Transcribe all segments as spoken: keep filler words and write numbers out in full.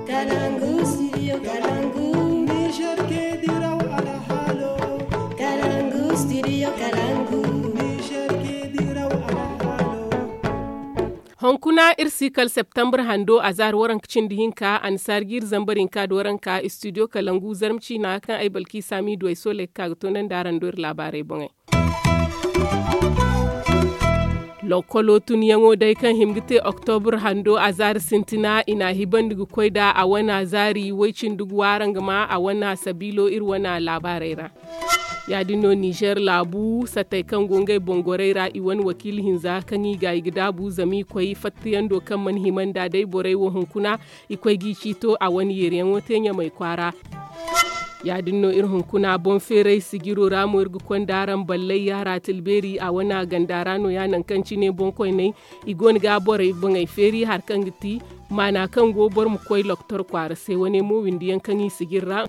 Kalangu, studio Kalangu. Niger ke diraw alhalo. Kalangu, studio Kalangu. Niger ke diraw alhalo. Hunkuna iri si kala septembre hando a zaari waranka cindi hinka annasaari jiiri zambar hinka da waranka studio Kalangu zarma ciina kaŋ ay balki saami duway sooley ga ka ga toonandi araŋ do iri laabaarey boŋey. Lokkolo tunyaŋo day kaŋ hima ga te oktobur hando a zaari sintina i n'a hibandi ga koy nd'a a wane zaari way-cindi ga waara nga ma a wane sabiilo iri wane laabaarey ra. Ya-din no nizer laabu sattey kaŋ go ngey boŋ gorey ra i wane wakiila hinza kaŋ i ga i ga daabu zama i koy fattayando kaŋ mana hima nd'a day borey wo hunkuna i koy g'i ciito a wane yeeriyaŋo te ɲamay kwaara. Ya-din no iri hunkuna boŋ feeray sijiro ra mo iri ga konda araŋ ballay yaara tilbeeri a wane ganda ra no- ya nangu kaŋ cine boŋ koyney i go no ga borey boŋey feeri hari kaŋ ga ti maana kaŋ go boro ma koy loktor kwaara se wane mo windi yaŋ kaŋ i sijir ra.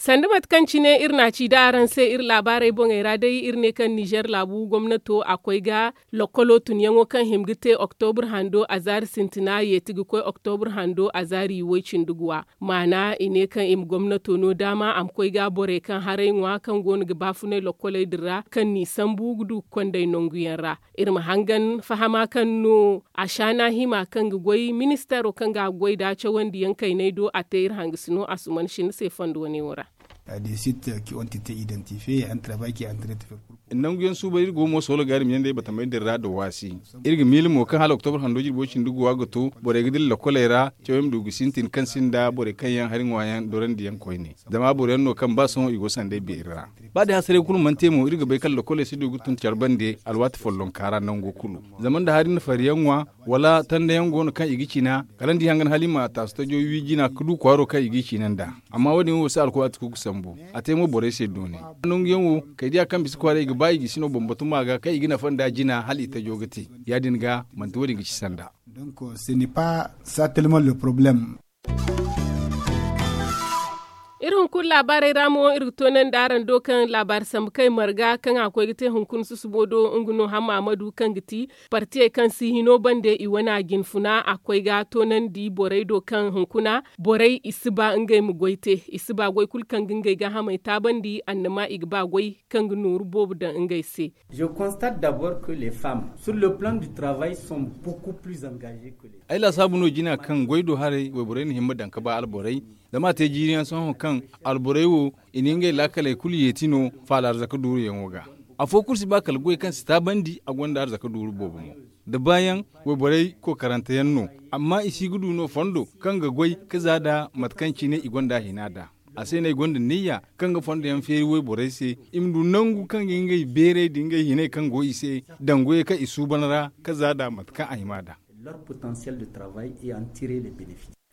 Sanda mate kaŋ cine iri n'a ci da araŋ se iri laabaarey boŋey ra day iri ne kaŋ nizer laabu gomnato a koy ga lokkolo tunyaŋo kaŋ hima ga te oktobur hando a zaari sintina yeeti ga koy oktobur hando a zaari way-cindi ga wa maana i ne kaŋ i ma gomnato no daama a ma koy ga borey kaŋ haray ŋwa kaŋ go no ga baafunay lokkoley din ra kaŋ n'i sambu ga du ga konday nangu yaŋ ra. Iri ma hangan fahama kaŋ no a shaana hima kaŋ ga goy ministaro kaŋ ga a goy nd'a cawandi yaŋ kayney do a te iri hangasino a suman shinne se fondo wane wo ra. Nangu yaŋ suubay iri go mo soolo gaari miyaŋ day batamey din ra nda waasi. Iri ga miila mo kaŋ hala oktobur hando jirbo cindi guwa ga to borey ga dira lokkoley ra caw yaŋ ma du ga sintin kaŋ sinda borey kaŋ yaŋ hari ŋwa yaŋ dorandi yaŋ koyne. Zama boro yaŋ no kaŋ ba sohõ i go sanday beeri ra. Ba day hasaray kulu mana te mo iri ga bay kaŋ lokkoley si du ga tun care bande alwaati follonka ra nango kulu. Zama nda hari na fari yaŋ ŋwa wala tanda yaŋ go no kaŋ i ga cina kala ni di hangan hala i ma taasu tajo wi jina ga du kwaaro kaŋ i g'i ciina nd'a. Amma wo- din wo si alkuwaati kulu ga sambu a te mo borey se doone. Nangu yaŋ wo kay diya kaŋ bisa kwaara i ga ba i gisi no bambatu ma ga kaŋ i ga nafa nda jina hala i tajo ga te. Ya- din ga manti wo- din ga ci sanda. Iri hunkuna laabaarey ra mo iri ga toonandi araŋ do kaŋ laabaari sambu kay marga kaŋ a koy ga te hunkuna susubo do nga no hamma amadu kaŋ ga ti partiyey kaŋ si hino bande i wane jinfuna a koy ga toonandi borey do kaŋ hunkuna borey i si ba ngey ma goy te i si ba goy kulu kaŋ ga ngey gaahamey taabandi annama i ga ba goy kaŋ ga nooru boobo daŋ ngey se. Je constate d'abord que les femmes sur le plan du travail sont beaucoup plus engagées que les. Ay laasaabu no jina kaŋ goy do haray wayborey na hima daŋ ga ba alborey. Zama a te jiiri yaŋ sohõ kaŋ alborey wo i na ngey laakaley kulu yeeti no faala arzaka duuruyaŋo ga. Afo kulu si ba kala goy kaŋ si taabandi a gonda arzaka duuru boobo mo. Da baayaŋ wayborey kookarante yaŋ no. Amma i si ga du no fondo kaŋ ga goy ga za nd'a mate kaŋ cine i gonda hina nd'a. A se no ay gonda niyya kaŋ ga fondo yaŋ feeri wayborey se i ma du nangu kaŋ ga ngey beeray nda ngey hinay kaŋ go i se daŋ goyey kaŋ i suuban ra ga za nd'a mate kaŋ a hima nd'a.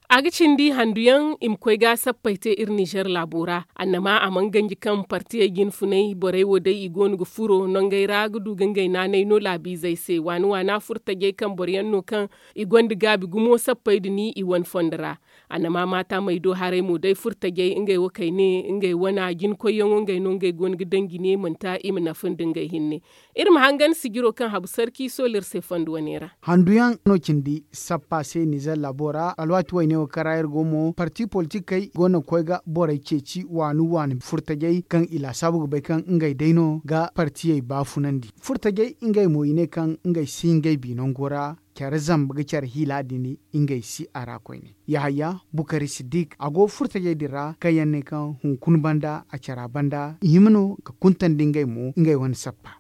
A ga cindi handu yaŋ i ma koy ga sappey te iri nizer laabo ra. Annama a mana ganji kaŋ partiyey jinfunay borey wo day i go no ga furo nangey ra ga du ga ngey naanay no laabiizey se waani waana furtajey kaŋ boro yaŋ no kaŋ i gonda gaabi gumo sappey nda ni i wane fondo ra. Annama maata may do haray mo day furtajey ngey wo kay ne ngey wana jinkoyyaŋo ngey no ngey go no ga daŋ jine manti i ma nafa nda ngey hinne. Iri ma hangan sijiro kaŋ habu sarki sola iri se fondo wane ra. Handu yaŋ no cindi sappa se nizer laabo ra alwaati wayne wo kaŋ ra iri go mo parti politikey go no ga koy ga borey ceeci waani waani furtajey kaŋ i laasaabu ga bay kaŋ ngey day no ga partiyey baafunandi. Furtajey ngey mo i ne kaŋ ngey si ngey bi nango ra care zamba ga care hiila din ngey si a ra koyne. Yahaya bukari siddik a go furtajey din ra kaŋ yaŋ ne kaŋ hunkuna banda a cara banda i hima no ga kuntandi ngey mo ngey wane sappa.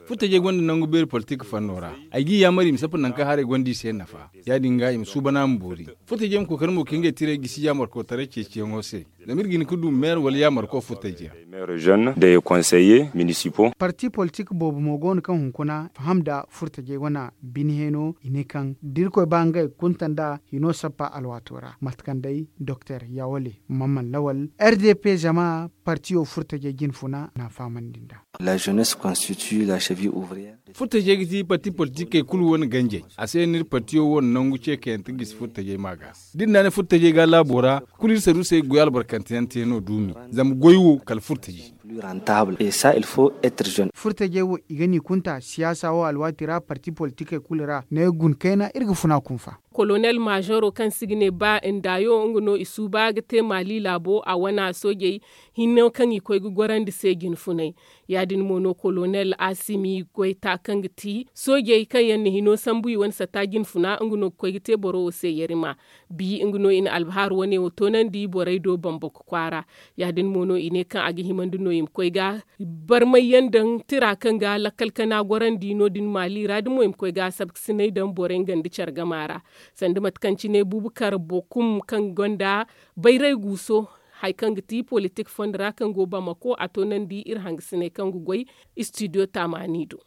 Furtajey gonda nangu beeri politik fanno ra. Ay g'i yaamar i ma sappa nangu kaŋ haray gonda i se nafa. Ya- din ga i ma suubana ma boori. Furtajey ma kookari mo ka ngey tirey gisi yaamarkotaray ceeciyaŋo se. Zama iri ga hin ga du meer wala yaamarko furtajey ra. Parti politik boobo mo go no kaŋ hunkuna faham nda furtajey wane bine heeno i ne kaŋ da irkoy ba ngey kunta nda hino sappa alwaato ra mate kaŋ day doktor yawale mamman lawal r d p zama partiyo furtajey jinfuna n'a fahamandi nd'a. Furtajey ga ti parti politikey kulu wane ganjey. A se no iri partiyo wane nangu ce kayante gisi furtajey ma ga. Da iri naanay furtajey ga laabo ra kulu iri saruusey ga goy albarkante yaŋ te no duumi. Zama goy wo kala furtajey. Furtajey wo i ga n'i kunta siyaasa wo alwaati ra parti politikey kulu ra ne gun kayna iri ga funa kunfa. Kolonel maazoro kaŋ se i ga ne ba ndaayo nga no i suuba ga te maali laabo a wana soojey hinne kaŋ i koy ga gorandi se jinfunay. Ya- din mo no kolonel asimi goyta kaŋ ga ti soojey kaŋ yaŋ na hino sambu i wane satta jinfuna nga no ga koy ga te boro wo se yarima. Bi nga no i na albahaar wane wo toonandi borey do bambako kwaara. Ya- din mo no i ne kaŋ a ga himandi no i ma koy ga barmay yaŋ daŋ tira kaŋ ga lakkal kana gorandi no- din maali ra da mo i ma koy ga sabkasinay daŋ borey nga nda care gama ra. Sanda mate kaŋ cine bubukar bokum kaŋ gonda bayray guuso hari kaŋ ga ti politik fondo ra kaŋ go bamako a toonandi iri hangasiney kaŋ ga goy istidiyo taamaani do.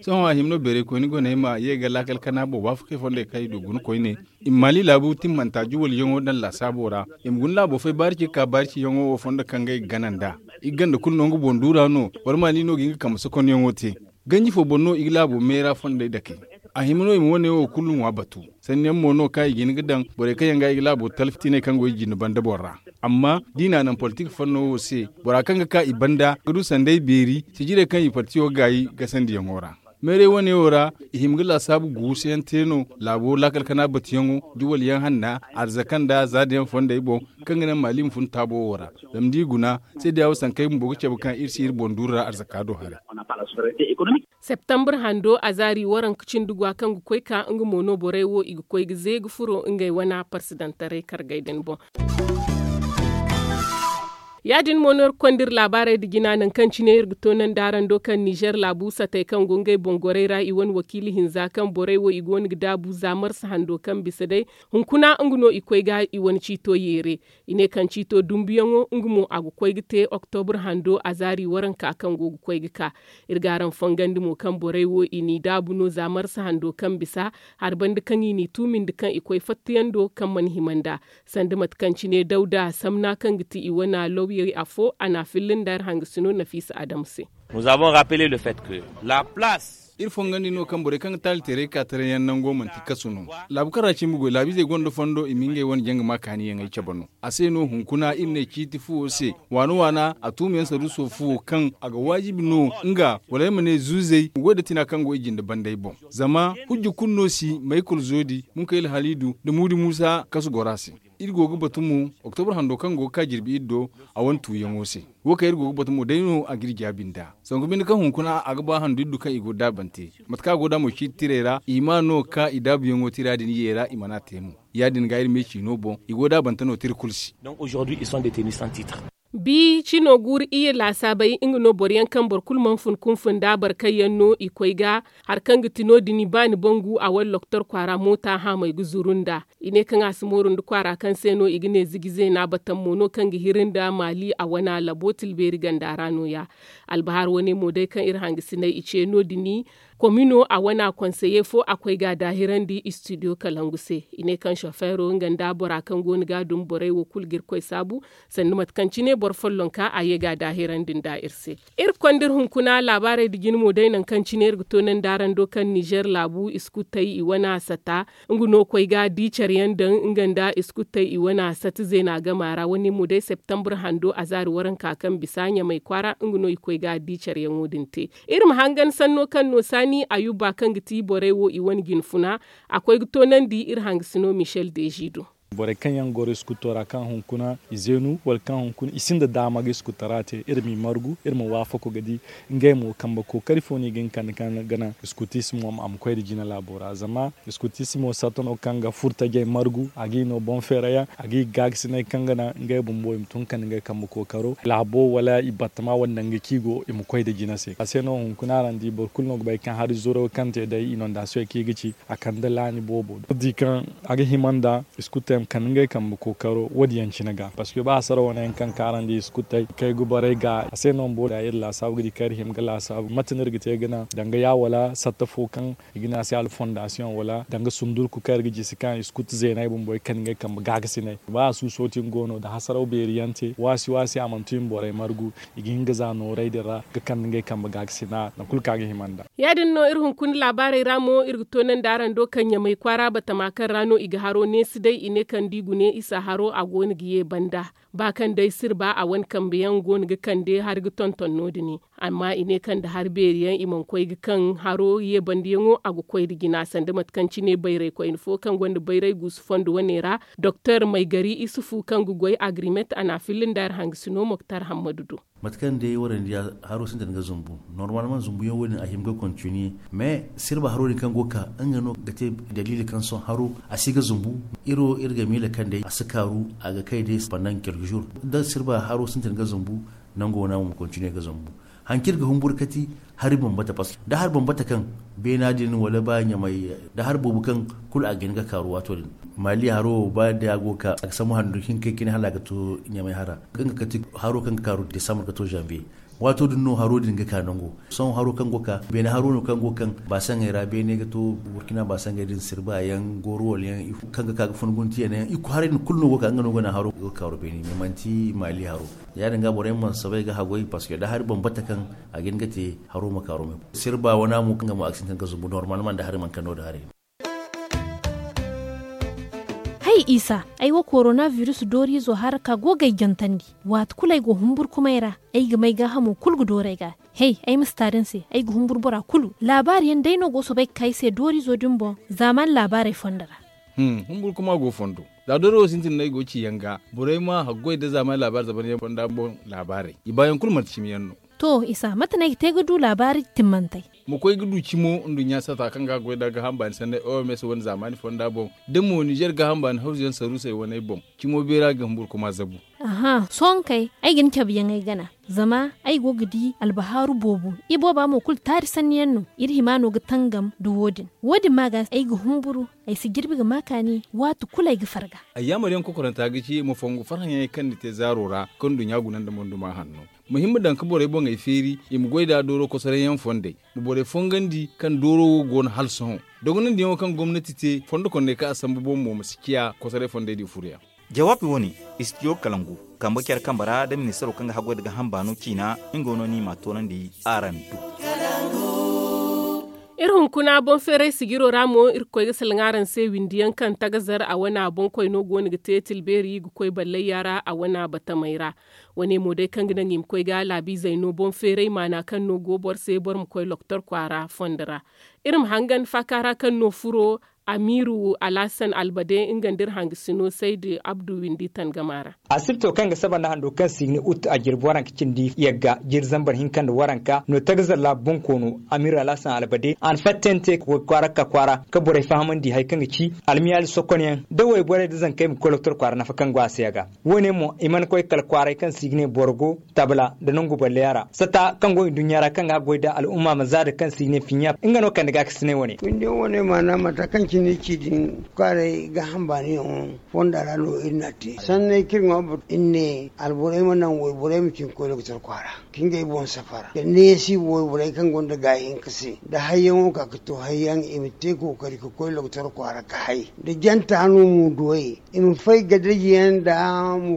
Sohõ a hima no beeray koyne go no ay ma ye ga laakal kana boŋ waafakey fondey kaŋ i du guna koyne. I ma maali laabu timmanta juwalyaŋo daŋ laasaabo ra. I ma guna laabo fay baari ci ga ka baari ciyaŋo wo fondo kaŋ ga ay ga gana nd'a. I ga ganda kulu no nga boŋ duura no wala maali no ga hin ga kambe sokonyaŋo te. Ganji fo boŋ no i ga laabo meera fondey dake. A hima no i ma wane wo kulu ŋwa batu. Sanniyaŋ mo no kaŋ i ga hin ga daŋ borey kaŋ yaŋ ga i ga laabo talfitiney kaŋ go i jinde banda boŋ ra. Amma da i n'a naŋ politik fanno wo se bora kaŋ ga ka i banda ga du sanday beeri sijirey kaŋ i partiyo gaayi gasandiyaŋo ra. Meeray wane wo ra i hima ga laasaabu guusuyaŋ te no laabo laakal kana batuyaŋo juwalyaŋ hanna arzaka nda zaadayaŋ fondey boŋ kaŋ ga naŋ maali ma fun taabo wo ra. Zama da i guna seedeya wo sankey bumbo ga cabe kaŋ iri si iri boŋ duuru ra arzaka do haray. Septambur hando azaari waranka cindi gwa kaŋ ga koy ka nga mo no borey wo i ga koy ga ze ga furo ngey wana parsidantaray kargey din boŋ. Ya- din mo no iri ga konda iri laabaarey nda jina nangu kaŋ cine iri ga toonandi araŋ do kaŋ nizer laabu satey kaŋ go ngey boŋ gorey ra i wane wakiila hinza kaŋ borey wo i go no ga daabu za marsa hando kaŋ bisa day hunkuna nga no i koy ga i wane ciito yeere. I ne kaŋ ciito dumbuyaŋo nga mo a ga koy ga te oktobur hando azaari waranka kaŋ go ga koy ga ka. Iri ga araŋ fongandi mo kaŋ borey wo i n'i daabu no za marsa hando kaŋ bisa hari banda kaŋ i n'i tuumindi kaŋ i koy fattayaŋ do kaŋ mana hima nd'a. Sanda mate kaŋ cine dawda samna kaŋ ga ti i wana lawyey afo a n'a filla nda iri hangasino nafiisa adamu se. Iri fongandi no kaŋ borey kaŋ ga taali teeray ka taray yaŋ nango manti kasu no. Laabu kaŋ ra cimbi goy laabiizey gonda fondo i ma ngey wane janga ma kaaniyaŋey cabe no. A se no hunkuna iri ne ciiti fuwo se waana waana a tuumayaŋ saruuso fuwo kaŋ a ga waajibi no nga wala ay ma ne zuuzey ma goy nda tina kaŋ go i jinde banday boŋ. Zama hujja kulu no si maykul zoodi munkayla haliidu nda muudi muusa kasu goro a se. Iri go ga batu mo oktobur hando kaŋ go ga ka jirbi iri do a wane tuuyaŋo se. Wo kaŋ iri go ga batu mo day no a ga iri jaabi nd'a zangu binde kaŋ hunkuna a ga ba handu iri du kaŋ i go daabante. Mate kaŋ a go nd'a mo ciiti tirey ra i hima no ga ka i daabuyaŋo tira din ye ra i mana te mo. Ya- din ga iri me ciino boŋ i go daabante no tira kulu se. Bi cino guuru iyye laasaabey nga no boro yaŋ kaŋ boro kulu mana fun kunfun nd'a boro kaŋ yaŋ no i koy ga hari kaŋ ga ti no- din ba ni bangu a wala loktor kwaara moota haamey ga zuru nd'a. I ne kaŋ a si mooru nda kwaara kaŋ se no i ga ne ziji zeena batam mo no kaŋ ga hiri nda maali a wana labo tilbeeri ganda ra nooya. Albahaar wane mo day kaŋ iri hangasiney i ce no- din komino a wana konseye fo a koy ga a daahirandi istidiyo kalangu se. I ne kaŋ sofeero nga nda bora kaŋ go no ga a duma borey wo kulu ga iri koy saabu sanda mate kaŋ cine boro follonka a ye ga a daahirandi nda iri se. Iri ga konda iri hunkuna laabaarey nda jine mo day nangu kaŋ cine iri ga toonandi araŋ do kaŋ nizer laabu iskutey i wana sata nga no koy ga di care yaŋ daŋ nga nda iskutey i wana sata zeena gama ra wane mo day septambur hando azaari waranka kaŋ bisa ɲamay kwaara nga no i koy ga di care yaŋo din te. Iri ma hangan sanno kaŋ no saani ayuba kaŋ ga ti borey wo i wane jinfuna a koy ga toonandi iri hangasino michel deji do. Borey kaŋ yaŋ goro iskuto ra kaŋ hunkuna i zeenu wala kaŋ hunkuna i sinda daama ga iskuto ra te iri m'i margu iri ma waafako ga di. Ngey mo kambe kookari fo no i ga hin kande kaŋ ga naŋ iskutismo a ma koy nda jina laabo ra zama iskutismo satta no kaŋ ga furtajey margu a g'i no boŋ feera yaŋ a g'i gaagasinay kaŋ ga naŋ ngey bumbo i ma tun kande ngey kambe kookaro laabo wala i battama wala nangu kaŋ i go i ma koy nda jina se a se no hunkuna araŋ di boro kulu no ga bay kaŋ hari zuro kaŋ te day inondasiyoŋ kaŋ i ga ci a kande laani boobo da di kaŋ a ga hima nda. Iskutey ma kande ngey kambe kookaro wo- din yaŋ cine ga parceque ba hasara wane yaŋ kaŋ kaarandi iskutey kay ga borey ga a se no bumbo da iri laasaabu ga di kaŋ iri hima ga laasaabu mate no iri ga te ga naŋ danga ya wala satta fo kaŋ i ga ne a se alfondasiyoŋ wala danga sundurku kaŋ iri ga jisi kaŋ iskut zeeney bumbo i kande ngey kambe gaagasiney ba a suuso tin go no da hasaraw beeri yaŋ te waasi waasi a mana tu i ma borey margu. I ga hin ga za nooray din ra ga kande ngey kambe gaagasiney nangu kulu kaŋ a ga hima nd'a. Ya- din no iri hunkuna laabaarey ra mo iri ga toonandi araŋ do kaŋ ɲamay kwaara batama kaŋ ra no i ga haro neesi day i ne. kaŋ da i gune isa haro a go no ga ye banda. Ba kaŋ day sirba a wane kambe yaŋ go no ga kande hari ga tonton no- din. Amma i ne kaŋ nda hari beeri yaŋ i mana koy ga kaŋ haro ye banda yaŋo a ga koy nda jina sanda mate kaŋ cine bayray koyne fo kaŋ gonda bayray guusu fondo wane ra, doktor maygari isufu kaŋ ga goy agrimet a na a filla nda hari hangasino moktar hammadu do. Mate kaŋ day warandi ya haro sintin ga zumbu. Normal man zumbu yaŋ wo- din a hima ga kontiniye. Mais sirba haro din kaŋ go ga ka nga no ga te daliili kaŋ sohõ haro a si ga zumbu. Iri wo iri ga miila kaŋ day a si kaaru a ga kay day pandan kelki jour. Da sirba haro sintin ga zumbu, nango wane a ma kontiniye ga zumbu. Hanci iri ga humburu kati hari bambata paske da hari bambata kaŋ beena din wala ba ɲamay da hari boobo kaŋ kulu a ga hin ga kaaru waato din. Maali haro wo ba day a go ga ka a ga sambu handu hinka cine hala a ga to ɲamay hara. Kaŋ ga kati haro kaŋ ga kaaru desambar ga to zanbiye. Waato din no haro din ga ka nango. Sohõ haro kaŋ go ga ka beene haro no kaŋ go ga kaŋ baasaŋey ra beene ga to burkina baasaŋey din sirba yaŋ gooro wala yaŋ kaŋ ga ka ga fun gunti yaŋ yaŋ i haray din kulu no go ga ka nga no ga naŋ haro ga kaaru beene mais manti maali haro. Ya- din ga borey mana soobay ga haggoy paske da hari bambata kaŋ a ga hin ga te haro ma kaaru me. Sirba wane a mo kaŋ ga mo a ga sintin ga zumbu normal man da hari mana kaŋ no da hari. Hay isa, ay wo korona virus dooriizo hara ka go ga ay jantandi. Waati kulu ay go humburkumay ra, ay ga may gaahamo kulu ga dooru ay ga. Hey, ay ma si taari ni se, ay ga humburu bora kulu. Laabaari yaŋ day no go soobay ga ka ay se dooriizo din boŋ. Zaamaani laabaarey fondo ra. Humburu kuma go fondo. Za doori wo sintin no ay go ga ci yaŋ ga borey ma haggoy nda zaamaani laabaari zaban yaŋ fonda boŋ. Laabaarey i baayaŋ kulu manti cimi yaŋ no. To isa mate no ay ga te ga du laabaari timmantey? Ma koy ga du cimo nduɲɲa sata kaŋ ga goy nda gaaham baani sanney oms wane zaamaani fonda boŋ da mo nizer gaaham baani hawzu yaŋ saruusey waney boŋ. Cimo beera ga humburkuma zabu. Aha sohõ kay, ay ga ni cabe yaŋey gana. Zama ay go ga di albahaaru boobo. Ibooba mo kulu taari sanni yaŋ no. Iri hima no ga tangam nda wo- din. Wo- din ma ga ay ga humburu. Ay si jirbi ga ma kaani waati kulu ay ga farga. Ayyaamar yaŋ kokoranta ga ci ma fongu farhãyaŋey kaŋ ni te zaaro ra kaŋ nduɲɲa guna nda monduma hanno. Ma hin ma daŋ ga borey boŋey feeri i ma goy nd'a dooro kosoray yaŋ fondey. Ma borey fongandi kaŋ dooro wo go no hala sohõ. Dogonandiyaŋo kaŋ gomnati te fondo kondey kaŋ a sambu boŋ mo ma si ciya kosoray fondey din furoyaŋ. Jawaabi wo- ne, istidiyo kalangu, kambe care kambe ra nda ministaro kaŋ ga haggoy nda gaaham baano ciina. Nga no no i m'a toonandi araŋ do. Iri hunkuna boŋ feeray sijiro ra mo iri ga koy ga salaŋ araŋ se windi yaŋ kaŋ tagazar a wana boŋ koyno go no ga te tilbeeri ga koy ballayya ra a wana batamey ra. Wane mo day kaŋ ga naŋ i ma koy ga laabiizey no boŋ feeray maana kaŋ no go boro se boro ma koy loktor kwaara fondo ra. Iri ma hangan faaka ra kaŋ no furo amiiru alhasan albade nga nda iri hangasino saydi abdu windi tangama ra. Asibto kaŋ ga saba nda hando kaŋ se i ga ne ut a jirbi waranka cindi yagga jiri zambar hinka nda waranka no tagazar laabu boŋ koono amiiru alhasan albade a na fattante ga koy kwaara ga ka kwaara ga borey fahamandi hari kaŋ ga ci almiyaali sokonyaŋ da wayborey nda zankey ma koy loktor kwaara nafa kaŋ go a se a ga. Wo- ne mo i mana koy kala kwaaray kaŋ se i ga ne boro go tabla nda nangu balleya ra sata kaŋ go i nduɲɲa ra kaŋ ga goy nda al'umma ma zaada kaŋ se i ga ne fiɲɲa nga no kande gaakasinay wane. Windi yaŋ wane maana mata kaŋ cine ci din kwaaray gaaham baani yaŋo fonda ra no iri n'a te sanney kaŋ iri ŋwa boro iri ne alborey ma naŋ wayborey ma cin ga koy loktor kwaara ga ngey boŋ safara da neesi wayborey kaŋ gonda gaayi hinka se da hayyaŋo ka ga to hayyaŋ i ma te kookari ga koy loktor kwaara ga hay da janta no mo duwey i ma fay gadajiyaŋ nda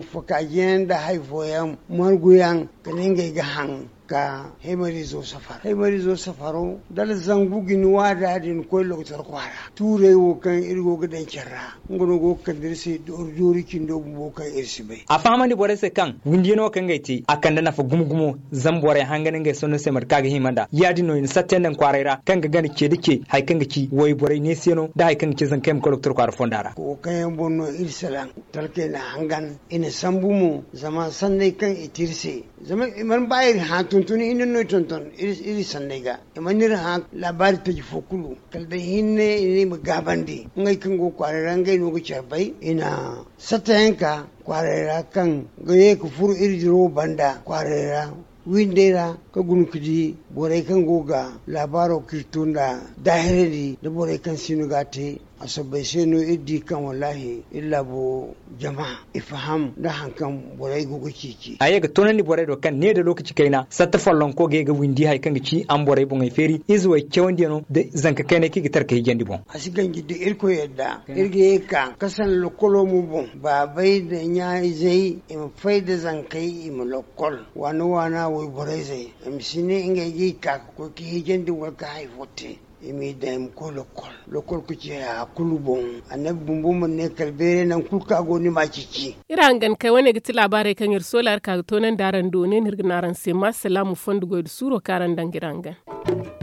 mufakaajiyaŋ nda hari fooyaŋ marguyaŋ ga ne ngey ga haŋ ga haymariizo safar haymariizo safaro da alzangu ga ni waada din koy loktor kwaara tuurey wo kaŋ iri go ga daŋ care ra nga no go ga kande iri se doori doori cindo bumbo kaŋ iri si bay. A fahamandi borey se kaŋ windiyano kaŋ ngey te a kande nafa gumo gumo zama borey hangan ngey sanno se mate kaŋ a ga hima nd'a ya- din no i na satte nda ni kwaaray ra kaŋ ga gana ce da ce hari kaŋ ga ci wayborey neesiyano nda hari kaŋ ga ci zankey ma koy loktor kwaara fonda ra. Wo kaŋ yaŋ boŋ no iri salaŋ talkey na hangan i na sambu mo zama sanney kaŋ i te iri se zama i mana ba iri hã tuntun hinne no i tonton iri sanney ga i mana iri hã laabaari taji fo kulu kala day hinne i ne i ma gaabandi ngey kaŋ go kwaaray ra ngey no ga care bay i na sattayaŋ ka kwaaray ra kaŋ ga ye ga furo iri dirawo banda kwaaray ra windey ra ga guna ga di borey kaŋ go ga laabaaro kaŋ iri to nd'a daahirandi nda borey kaŋ siino ga a te a soobay se no iri di kaŋ wallaahi iri laabo jama i faham nda hari kaŋ borey go ga ceeci. A ye ga toonandi borey do kaŋ ne nda lookaci kayna satta follonko ga ye ga windi hari kaŋ ga ci a ma borey boŋey feeri ize way cawandiyano nda zanka kaynay kaŋ i ga tara ga hijandi boŋ. A si ganji da irkoy yadda iri ga ye ga ka ga sanda lokolo mo boŋ baabey nda ɲa-izey i ma fay nda zankey i ma lokol waana waana wayborey zey i ma si ne ngey ga i ka ga koy ga hijandi wala ga hari fo te. I m'i daŋ i ma koy lokol lokol ga ci haya kulu boŋ. Annabi bumbo mana ne kala beeray nangu kulu kaŋ a go no ni m'a cici. Iri hangan kay wane ga ti laabaarey kaŋ iri soola iri ka ga toonandi araŋ do ne no iri ga ne araŋ se ma salaamu fondo goy nda suuro kaŋ araŋ daŋ ga iri hangan.